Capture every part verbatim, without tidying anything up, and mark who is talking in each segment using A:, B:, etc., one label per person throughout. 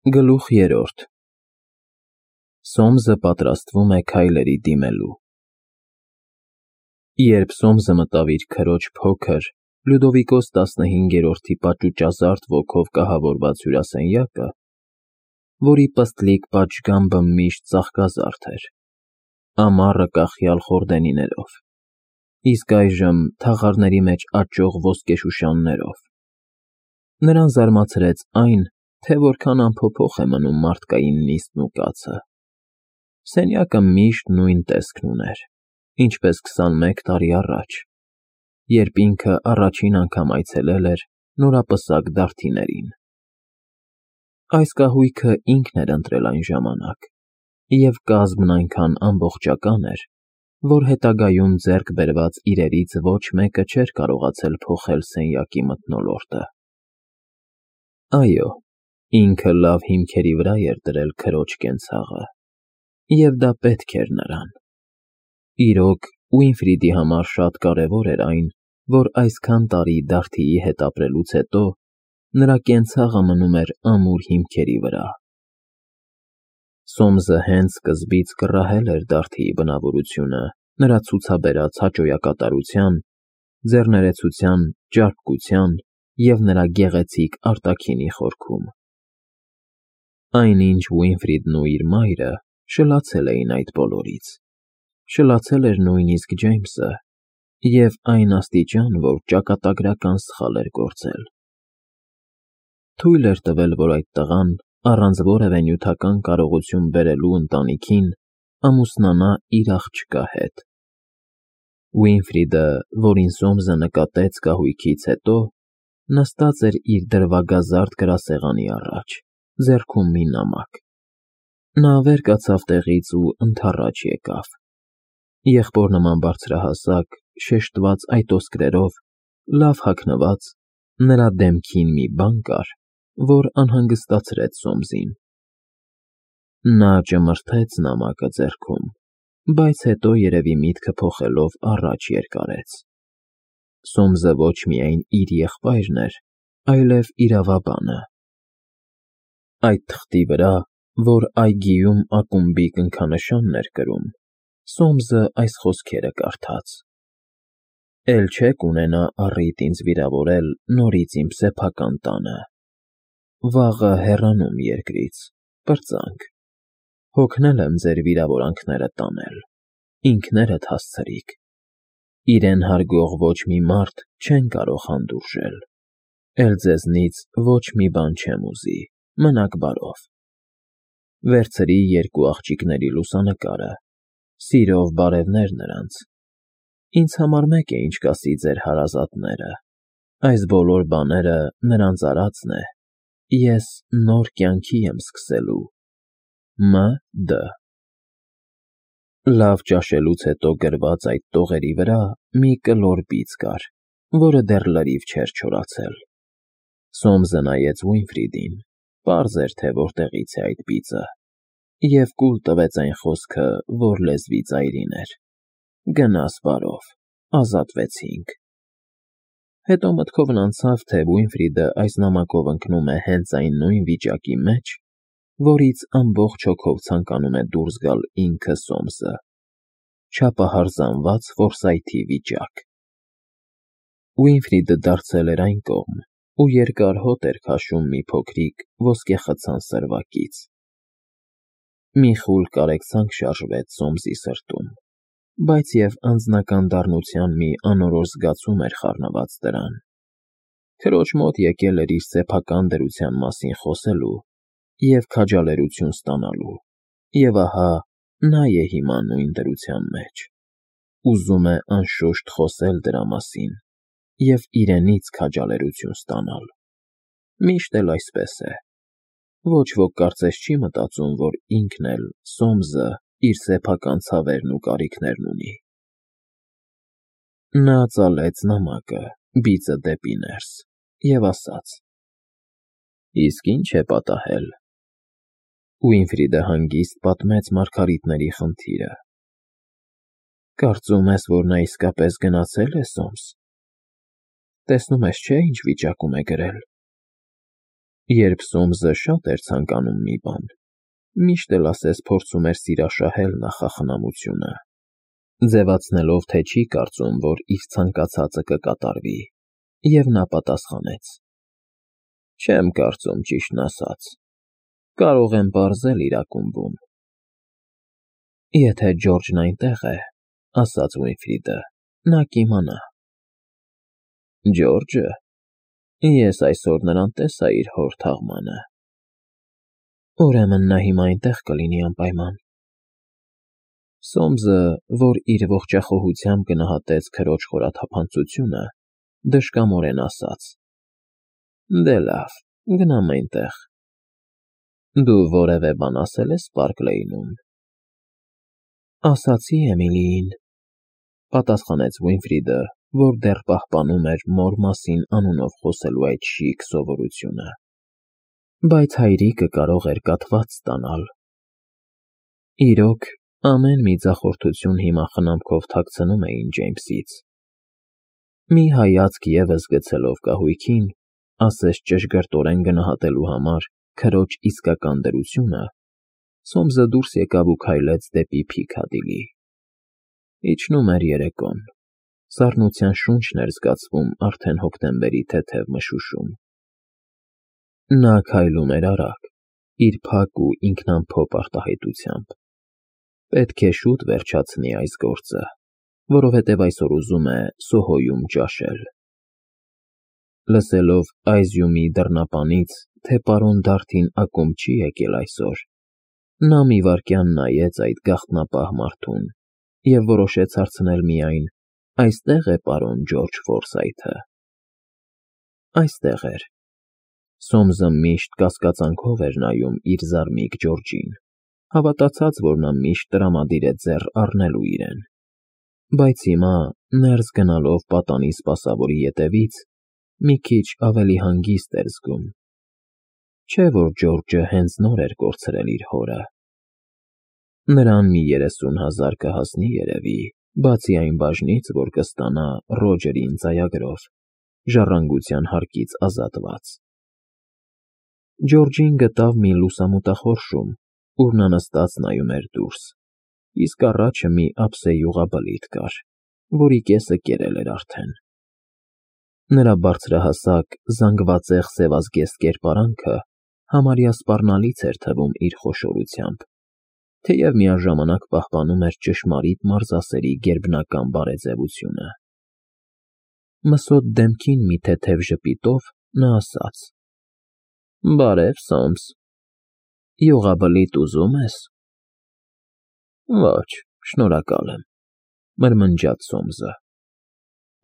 A: Գլուխ երրորդ Սոմսը պատրաստվում է քայլերի դիմելու Երբ Սոմսը մտավ իր քրոջ փոքր, Լյուդովիկոս տասնհինգերորդի պաճուճազարդ ոգով կահավորված հյուրասենյակը, որի պստլիկ պատշգամբը միշտ ծաղկազարդ էր, ամառը կախյալ խորդենիներով, իսկ այժմ թաղարների մեջ աճող ոսկեշուշաններով, նրան զարմացրեց այն, թե որքան անփոփոխ է մնում մարդկային նիստն ու կացը. սենյակը միշտ նույն տեսքն ուներ, ինչպես քսանմեկ տարի առաջ, երբ ինքը առաջին անգամ այցելել էր նորապսակ դարդիներին. այս կահույքը ինքն էր ընտրել այն ժամանակ, և կազմն այնքան ամբողջական էր, որ հետագայում ձեռք բերված իրերից ոչ մեկը չէր կարողացել փոխել սենյակի մթնոլորտը։ Այո, ինքը լավ հիմքերի վրա էր դրել քրոջ կենցաղը, և դա պետք էր նրան։ Իրոք, Ուինֆրիդի համար շատ կարևոր էր այն, որ այսքան տարի դարդիի հետ ապրելուց հետո նրա կենցաղը մնում էր ամուր հիմքերի վրա։ Սոմսը հենց սկզբից կռահել էր Դարդիի բնավորությունը նրա ցուցաբերած հաճոյակատարության, ձեռներեցության, ճարպկության և նրա գեղեցիկ արտաքինի խորքում։ Այնինչ Ուինֆրիդն ու իր մայրը շլացել էին այդ բոլորից, շլացել էր նույնիսկ Ջեյմսը, և այն աստիճան, որ ճակատագրական սխալ էր գործել։ Թույլ էր տվել, որ այդ տղան, առանց որևէ նյութական կարողություն բերելու ընտանիքին, ամուսնանա իր աղջկա հետ։ Ուինֆրիդը, որին Սոմսը նկատեց կահույքից հետո, նստած էր իր դրվագազարդ գրասեղանի առաջ, ձեռքում մի նամակ։ Նա վեր կացավ տեղից ու ընդառաջ եկավ։ Եղբոր նման բարձրահասակ, շեշտված այտոսկրերով, լավ հագնված, նրա դեմքին մի բան կար, որ անհանգստացրեց Սոմսին։ Նա ճմրթեց նամակը ձեռքում, բայց հետո երևի միտքը փոխելով առաջ երկարեց։ Սոմսը ոչ միայն իր եղբայրն էր, այլև իրավաբանը։ Այդ թղթի վրա, որ այգիում ակումբի կնքանշանն էր կրում, Սոմսը այս խոսքերը կարդաց. «Էլ չեք ունենա առիթ ինձ վիրավորել նորից իմ սեփական տանը։ Վաղը հեռանում երկրից, պրծանք, հոգնել եմ ձեր վիրավորանքները տանել, ինքներդ հասցրիք, իրեն հարգող ոչ մի մարդ չեն կարող հանդուրժել, էլ ձեզնից ոչ մի բան չեմ ուզի, մնաք բարով։ Վերցրի երկու աղջիկների լուսանկարը, սիրով բարևներ նրանց։ Ինձ համար մեկ է ինչ կասի ձեր հարազատները, այս բոլոր բաները նրանց արածն է, ես նոր կյանքի եմ սկսելու։ Մ. Դ.» Լավ ճաշելուց հետո գրված այդ տողերի վրա մի կլոր բիծ կար, որը դեռ լրիվ չէր չորացել։ Սոմսը նայեց Ուինֆրիդին, պարզ էր, թե որտեղից է այդ բիծը, և կուլ տվեց այն խոսքը, որ լեզվի ծայրին էր. «Գնաս բարով, ազատվեցինք»։ Հետո մտքովն անցավ, թե Ուինֆրիդը այս նամակով ընկնում է հենց այն նույն վիճակի մեջ, որից ամբողջ հոգով ցանկանում է դուրս գալ ինքը Սոմսը, չափահարզանված որսայթի վիճակ։ Ուինֆրիդը դարձել էր այն կողմ ու երկար հոտ էր քաշում մի փոքրիկ ոսկեխցան սրվակից։ Մի խուլ կարեկցանք շարժվեց Սոմսի սրտում, բայց և անձնական դառնության մի անորոշ զգացում էր խառնված դրան։ Քրոջ մոտ եկել էր իր սեփական դրության մասին խոսելու և քաջալերություն ստանալու, և ահա նա է հիմա նույն դրության մեջ, ուզում է անշուշտ խոսել դրա մասին և իրենից քաջալերություն ստանալ։ Միշտ էլ այսպես է։ Ոչ ոք կարծես չի մտածում, որ ինքն էլ, Սոմսը, իր սեփական ցավերն ու կարիքներն ունի։ Նա ծալեց նամակը, բիծը դեպի ներս, և ասաց. «Իսկ ի՞նչ է պատահել»։ Ուինֆրիդը հանգիստ պատմեց Մարգարիտների խնդիրը։ «Կարծում ես, որ նա իսկապես գնացել է, Սոմս։ Տեսնում ես, չէ՞, ինչ վիճակում է գրել։ Երբ Սոմսը շատ էր ցանկանում մի բան, միշտ էլ ասես փորձում էր սիրաշահել նախախնամությունը, ձևացնելով, թե չի կարծում, որ իր ցանկացածը կկատարվի, և նա պատասխանեց. «Չեմ կարծում, ճիշտն ասած, կարող եմ պարզել իր ակումբում»։ «Եթե Ջորջն այնտեղ է,֊ ասաց Վինֆրիդը,֊ նա կիմանա»։ «Ջորջը… Ես այսօր նրան տեսա իր հոր թաղմանը»։ «Ուրեմն նա հիմա այնտեղ կլինի անպայման»։ Սոմսը, որ իր ողջախոհությամբ գնահատեց քրոջ խորաթափանցությունը, դժկամորեն ասաց. «Դե լավ, գնամ այնտեղ»։ «Դու որևէ բան ասել ես Պարկլեյնում»։ «Ասացի Էմիլիին», պատասխանեց Վինֆրիդը, որ դեռ պահպանում էր մոր մասին անունով խոսելու այդ շիկ սովորությունը, բայց հայրիկը կարող էր կաթված ստանալ։ Իրոք, ամեն մի ձախորդություն հիմա խնամքով թաքցնում էին Ջեյմսից։ Մի հայացք ևս գցելով կահույքին, ասես ճշգրտորեն գնահատելու համար քրոջ իսկական դրությունը, Սոմսը դուրս եկավ ու քայլեց դեպի Փիքադիլի։ Իջնում էր երեկոն, սառնության շունչն էր զգացվում արդեն հոկտեմբերի թեթև մշուշում։ Նա քայլում էր արագ, իր փակ ու ինքնամփոփ արտահայտությամբ։ Պետք է շուտ վերջացնի այս գործը, որովհետև այսօր ուզում է Սոհոյում ճաշել։ Լսելով Այզյումի դռնապանից, թե պարոն Դարթին ակումբ չի եկել այսօր, նա մի վայրկյան նայեց այդ գաղտնապահ մարդուն և որոշեց հարցնել միայն. «Այստե՞ղ է պարոն Ջորջ Ֆորսայթը»։ Այստեղ էր։ Սոմսը միշտ կասկածանքով էր նայում իր զարմիկ Ջորջին, հավատացած, որ նա միշտ տրամադիր է ձեռ առնելու իրեն, բայց հիմա, ներս գնալով պատանի սպասավորի ետևից, մի քիչ ավելի հանգիստ էր զգում։ Չէ՞ որ Ջորջը հենց նոր էր կորցրել իր հորը։ Նրան մի երեսուն հազար կհասնի երևի, բացի այն բաժնից, որ կստանա Ռոջերին ծայագրով, ժառանգության հարկից ազատված։ Ջորջին գտավ մի լուսամուտախորշում, ուր նա նստած նայում էր դուրս, իսկ առաջը մի ափսեի յուղաբլիթ կար, որի կեսը կերել էր արդեն։ Նրա բարձրահասակ, զանգվածեղ սևազգեստ կերպարանքը համարյա սպառնալից էր թվում իր խոշորությամբ, թեև միաժամանակ պահպանում էր ճշմարիտ մարզասերի գերբնական բարեձևությունը։ Մսոտ դեմքին մի թեթև ժպիտով նա ասաց. «Բարև, Սոմս, յուղաբլիթ ուզում ես»։ «Ոչ, շնորհակալ եմ», մրմնջաց Սոմսը,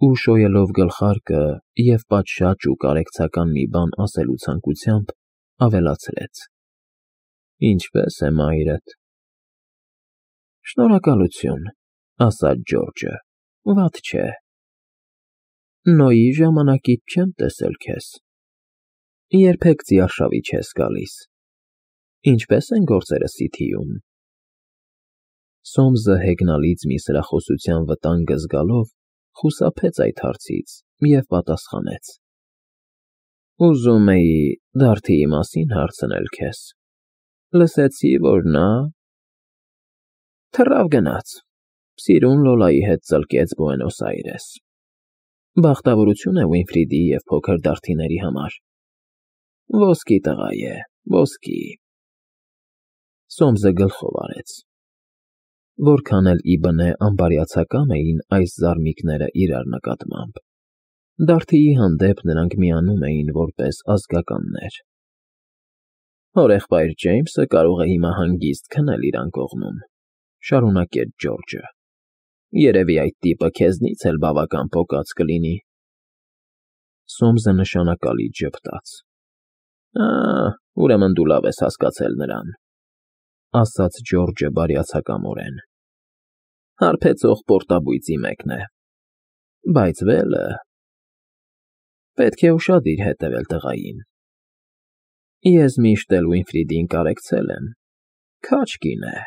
A: ու շոյելով գլխարկը և պատշաճ ու կարեկցական մի բան ասելու ցանկությամբ, ավելացրեց. «Ինչպե՞ս է մայրդ»։ «Շնորհակալություն», ասաց Ջորջը, «վատ չէ»։ «Նոյի ժամանակից չեմ տեսել քեզ։ Երբեք ծիարշավի չես գալիս։ Ինչպե՞ս են գործերը Սիթիում»։ Սոմսը հեգնալից մի սրախոսության վտանգը զգալով, խուսափեց այդ հարցից և պատասխանեց. «Ուզում էի Դարդիի մասին հարցնել քեզ։ Լսեցի, որ նա… թռավ գնաց, Սիրուն Լոլայի հետ ծլկեց Բուենոս Այրես։ Բախտավորություն է Վինֆրիդի և փոքր Դարդիների համար։ Ոսկի տղա է, ոսկի»։ Սոմսը գլխով արեց։ Որքան էլ ի բնե անբարյացակամ էին այս զարմիկները իրար նկատմամբ, Դարդիի հանդեպ նրանք միանում էին որպես ազգականներ։ «Հորեղբայր Ջեյմսը կարող է հիմա հանգիստ քնել իր անկողնում», շարունակեց Ջորջը։ «Երևի այդ տիպը քեզնից էլ բավական պոկած կլինի»։ Սոմսը նշանակալից ժպտաց։ «Ա, ուրեմն դու լավ ես հասկացել նրան», ասաց Ջորջը բարյացակամորեն։ «Հարբեցող պորտաբույծի մեկն է։ Բայց վելը… Պետք է ուշադիր հետևել տղային։ Ես միշտ էլ Վինֆրիդին կարեկցել եմ, քաջ կին է»։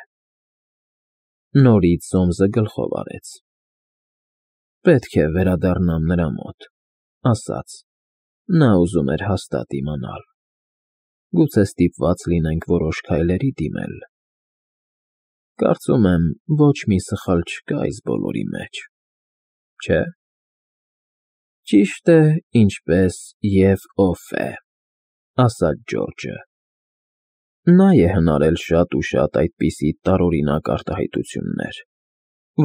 A: Նորից Սոմսը գլխով արեց։ «Պետք է վերադառնամ նրա մոտ», ասաց։ Նա ուզում էր հաստատ իմանալ։ գուցե ստիպված լինենք որոշ քայլերի դիմել։ Կարծում եմ, ոչ մի սխալ չկա այս բոլորի մեջ, չէ՞։ Ճիշտ է, ինչպես և ով է, ասաց Ջորջը։ Նա է հնարել շատ ու շատ այդպիսի տարօրինակ արտահայտություններ,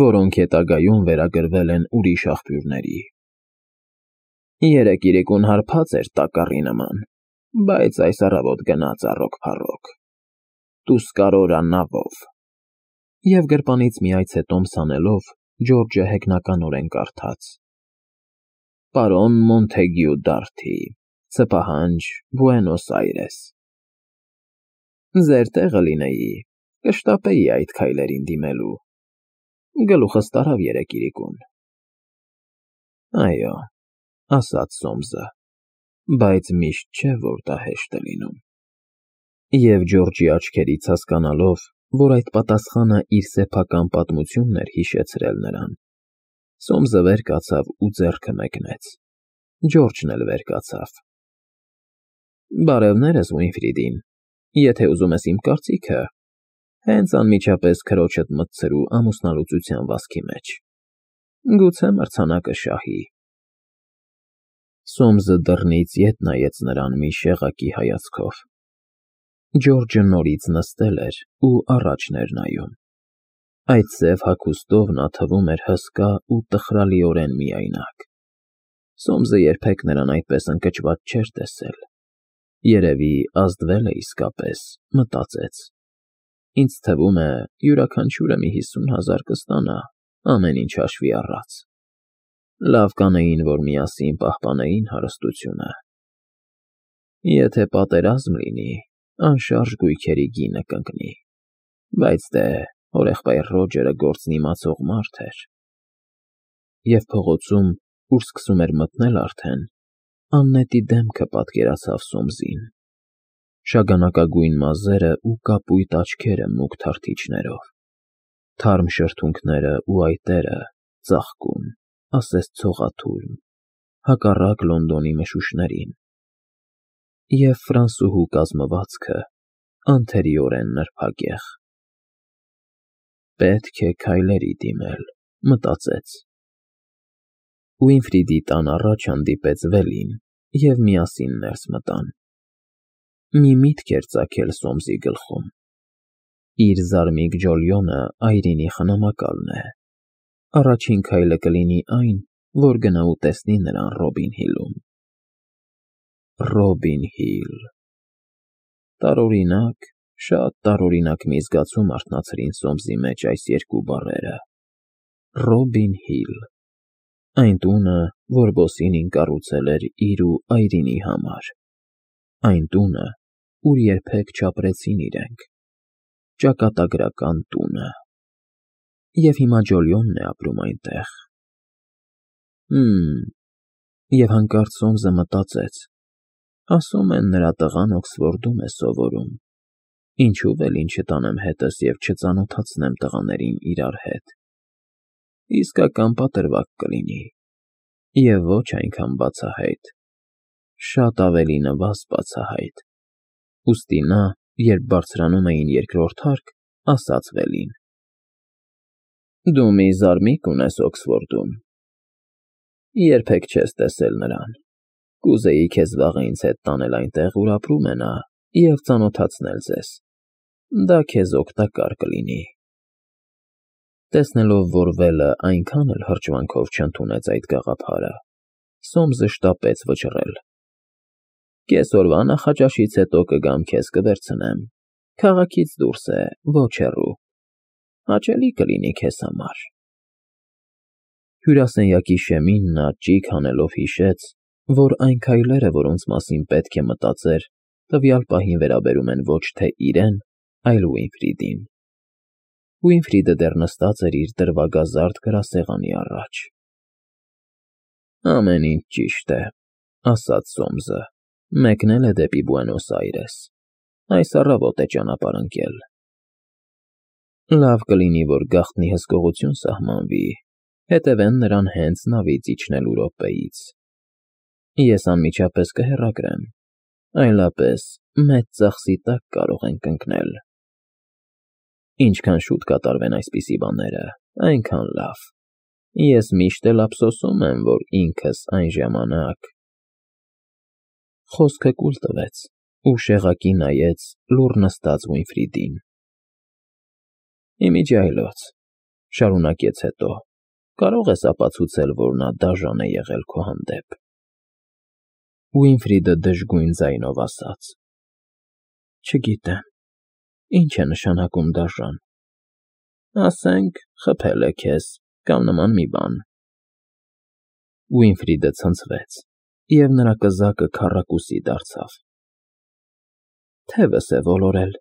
A: որոնք հետագայում վերագրվել են ուրիշ աղբյուրների։ Երեկ իրիկուն հարբած էր տակառի նման, բայց այս առավոտ գնաց առոք֊փառոք, տուսկարորա նավով։ Եվ գրպանից մի այց տոմս հանելով, Ջորջը հեգնականորեն կարդաց. Պարոն Մոնթեգյու Դարթի, Սպահանջ, Բուենոս Այրես։ Ձեր տեղը լինեի, կշտապեի այդ քայլերին դիմելու։ Գլուխս տարավ երեկ իրիկուն։ Այո, ասաց Սոմսը, բայց միշտ չէ, որ դա հեշտ է լինում։ Եվ Ջորջի աչքերից հասկանալով, որ այդ պատասխանը իր սեփական պատմությունն էր հիշեցրել նրան, Սոմսը վեր կացավ ու ձեռքը մեկնեց։ Ջորջն էլ վեր կացավ։ Բարևներս, Ուինֆրիդին, եթե ուզում ես իմ կարծիքը, հենց անմիջապես քրոջդ մտցրու ամուսնալուծության վասքի մեջ։ Գուցե մրցանակը շահի։ Սոմսը դռնից ետ նայեց նրան մի շեղակի հայացքով։ Ջորջը նորից նստել էր ու առաջն էր նայում։ Այդ սև հագուստով նա թվում էր հսկա ու տխրալիորեն միայնակ։ Սոմսը երբեք նրան այդպես ընկճված չէր տեսել։ Երևի ազդվել է իսկապես, մտածեց։ Ինձ թվում է, յուրաքանչյուրը մի հիսուն հազար կստանա, ամեն ինչ հաշվի առած։ Լավ կանեին, որ միասին պահպանեին հարստությունը։ Եթե պատերազմ լինի, անշարժ գույքերի գինը կընկնի, բայց դե հորեղբայր Ռոջերը գործն իմացող մարդ էր։ Եվ փողոցում, ուր սկսում էր մթնել արդեն, աննետի դեմքը պատկերացավ Սոմսին, շագանակագույն մազերը ու կապույտ աչքերը մուգ թարթիչներով, թարմ շրթունքները ու այտերը ծաղկուն, ասես ցողաթույլ, հակառակ Լոնդոնի մշուշներին, և ֆրանսուհու կազմվածքը անթերիորեն նրբագեղ։ Պետք է քայլերի դիմել, մտածեց։ Ուինֆրիդի տան առաջ հանդիպեց Վելին, և միասին ներս մտան։ Մի միտք էր ծագել Սոմսի գլխում։ Իր զարմիկ ջոլյոնը այրինի խնամակալն է։ Առաջին քայլը կլինի այն, որ գնա ու տեսնի նրան Ռոբին Հիլում։ Ռոբին Հիլ… Տարօրինակ, շատ տարօրինակ մի զգացում արթնացրին Սոմսի մեջ այս երկու բառերը։ Ռոբին Հիլ… Այն տունը, որ Բոսինին կառուցել էր իր ու այրինի համար։ Այն տունը, ուր երբեք չապրեցին իրենք։ Ճակատագրական տունը։ Եվ հիմա Ջոլիոնն է ապրում այնտեղ։ Հը՜մ… Եվ հանկարծ Սոմսը մտածեց. ասում են, նրա տղան Օքսֆորդում է սովորում, ինչու՞ Վելին չտանեմ հետս և չծանոթացնեմ տղաներին իրար հետ։ Իսկական պատրվակ կլինի, և ոչ այնքան բացահայտ, շատ ավելի նվազ բացահայտ։ Ուստի նա, երբ բարձրանում էին երկրորդ հարկ, ասաց Վելին. Դու մի զարմիկ ունես Օքսֆորդում, երբեք չես տեսել նրան, կուզեի քեզ վաղը ինձ հետ տանել այնտեղ, ուր ապրում է նա, և ծանոթացնել ձեզ, դա քեզ օգտակար կլինի։ Տեսնելով, որ Վելը այնքան էլ հրճվանքով չընդունեց այդ գաղափարը, Սոմսը շտապեց վճռել. Կեսօրվա նախաճաշից հետո կգամ քեզ կվերցնեմ, քաղաքից դուրս է, ոչ հեռու, հաճելի կլինի քեզ համար։ Հյուրասենյակի շեմին նա ճիգ հանելով հիշեց, որ այն քայլերը, որոնց մասին պետք է մտածեր, տվյալ պահին վերաբերում են ոչ թե իրեն, այլ Ուինֆրիդին։ Ուինֆրիդը դեռ նստած էր իր դրվագազարդ գրասեղանի առաջ։ Ամեն ինչ ճիշտ է, ասաց Սոմսը, մեկնել է դեպի Բուենոս Այրես, այս առավոտ է ճանապարհ ընկել։ Լավ կլինի, որ գաղտնի հսկողություն սահմանվի, հետևեն նրան հենց նավից իջնելու րոպեից։ Ես անմիջապես կհեռագրեմ, այլապես մեծ ծախսի տակ կարող ենք ընկնել։ Ինչքան շուտ կատարվեն այսպիսի բաները, այնքան լավ։ Ես միշտ էլ ափսոսում եմ, որ ինքս այն ժամանակ… Խոսքը կուլ տվեց ու շեղակի նայեց լուռ նստած Վինֆրիդին։ Իմիջիայլոց, շարունակեց հետո, կարող ես ապացուցել, որ նա դաժան է եղել քո հանդեպ։ Վինֆրիդը դժգույն ձայնով ասաց. Չգիտեմ, ինչ է նշանակում դաժան։ Ասենք, խփել է քեզ, կամ նման մի բան։ Վինֆրիդը ցնցվեց, և նրա կզակը քառակուսի դարձավ։ Թևս է ոլորել,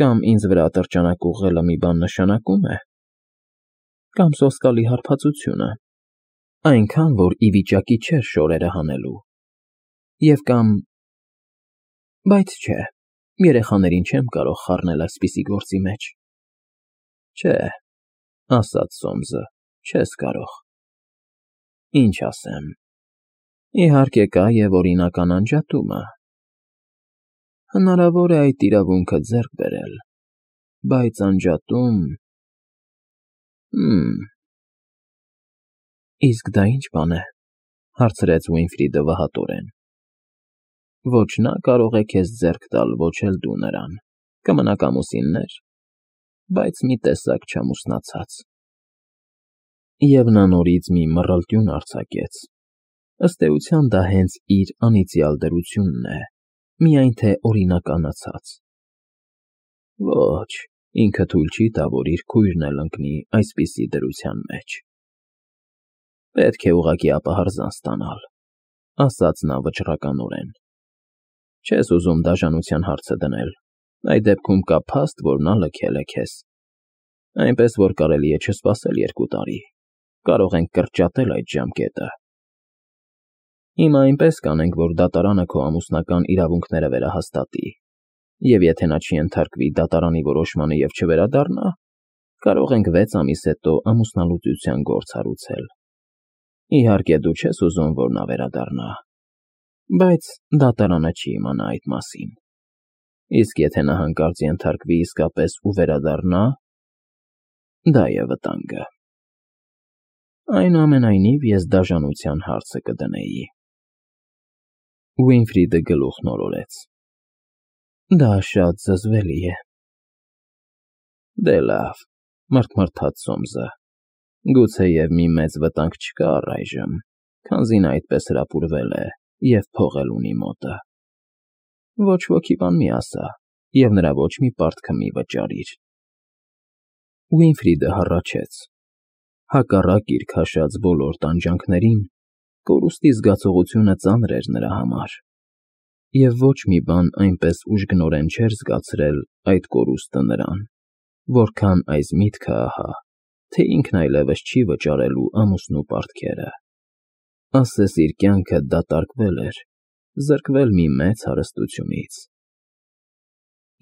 A: կամ ինձ վրա ատրճանակ ուղղելը մի բան նշանակում է, կամ սոսկալի հարբածությունը, այնքան, որ ի վիճակի չէր շորերը հանելու, և կամ… Բայց չէ, երեխաներին չեմ կարող խառնել այսպիսի գործի մեջ։ Չէ, ասաց Սոմսը, չես կարող։ Ինչ ասեմ, իհարկե կա և օրինական անջատումը։ Հնարավոր է այդ իրավունքը ձեռք բերել, բայց անջատում… Հըմ… Իսկ դա ինչ բան է, հարցրեց Վինֆրիդը վհատորեն։ Ոչ նա կարող է քեզ ձեռք տալ, ոչ էլ դու նրան, կմնաք ամուսիններ, բայց մի տեսակ չամուսնացած։ Եվ նա նորից մի մռլտյուն արձակեց, ըստ էության դա հենց իր անիծյալ դրությունն է, միայն թե օրինականացած։ Ոչ, ինքը թույլ չի տա, որ իր քույրն էլ ընկնի այսպիսի դրության մեջ։ Պետք է ուղղակի ապահարզան ստանալ, ասաց նա վճռականորեն։ Չես ուզում դաժանության հարցը դնել, այդ դեպքում կա փաստ, որ նա լքել է քեզ։ Այնպես, որ կարելի է չսպասել երկու տարի, կարող ենք կրճատել այդ ժամկետը։ Հիմա այնպես կանենք, որ դատարանը քո ամուսնական իրավունքները վերահաստատի, և եթե նա չենթարկվի դատարանի որոշմանը և չվերադառնա, կարող ենք վեց ամիս հետո ամուսնալուծության գործ հարուցել։ Իհարկե դու չես ուզում, որ նա վերադառնա, բայց դատարանը չի իմանա այդ մասին։ Իսկ եթե նա հանկարծ ենթարկվի իսկապես ու վերադառնա, դա է վտանգը։ Այնուամենայնիվ, ես դաժանության հարցը կդնեի։ Վինֆրիդը գլուխ նորորեց։ Դա շատ զզվելի է։ Դե լավ, մռթմռթաց Սոմսը, գուցեև մի մեծ վտանգ չկա առայժմ, քանզի նա այդպես հրապուրվել է և փող էլ ունի մոտը։ Ոչ ոքի բան մի ասա, և նրա ոչ մի պարտքը մի վճարիր։ Վինֆրիդը հառաչեց։ Հակառակ իր քաշած բոլոր տանջանքներին, կորուստի զգացողությունը ծանր էր նրա համար, և ոչ մի բան այնպես ուժգնորեն չէր զգացրել այդ կորուստը նրան, որքան այս միտքը ահա, թե ինքն այլևս չի վճարելու ամուսնու պարտքերը։ Ասես իր կյանքը դատարկվել էր, զրկվել մի մեծ հարստությունից։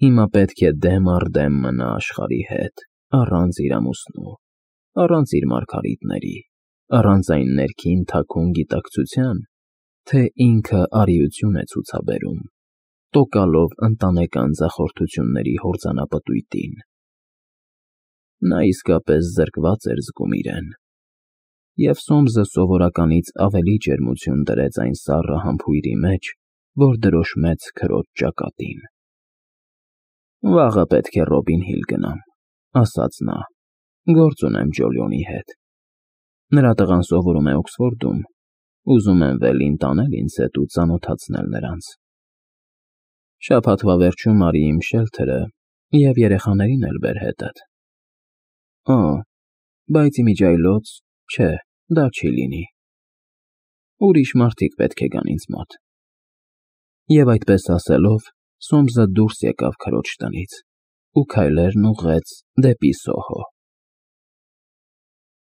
A: Հիմա պետք է դեմ առ դեմ մնա աշխարհի հետ, առանց իր ամուսնու, առանց իր մարգարիտների, առանց այն ներքին թաքուն գիտակցության, թե ինքը արիություն է ցուցաբերում, տոկալով ընտանեկան ձախորդությունների հորձանապտույտին։ Նա իսկապես զրկված էր զգում իրեն, և Սոմսը սովորականից ավելի ջերմություն դրեց այն սառը համբույրի մեջ, որ դրոշմեց քրոջ ճակատին։ Վաղը պետք է Ռոբին Հիլ գնամ, ասաց նա, գործ ունեմ Ջոլիոնի հետ։ Նրա տղան սովորում է Օքսֆորդում, ուզում եմ Վելին տանել ինձ հետ ու ծանոթացնել նրանց։ Շաբաթվա վերջում արի իմ շելթերը և երեխաներին էլ բեր հետդ։ Օ, բայց իմիջիայլոց, չէ, դա չի լինի։ Ուրիշ մարդիկ պետք է գան ինձ մոտ։ Եվ այդպես ասելով, Սոմսը դուրս եկավ քրոջ տնից ու քայլերն ուղղեց դեպի Սոհո։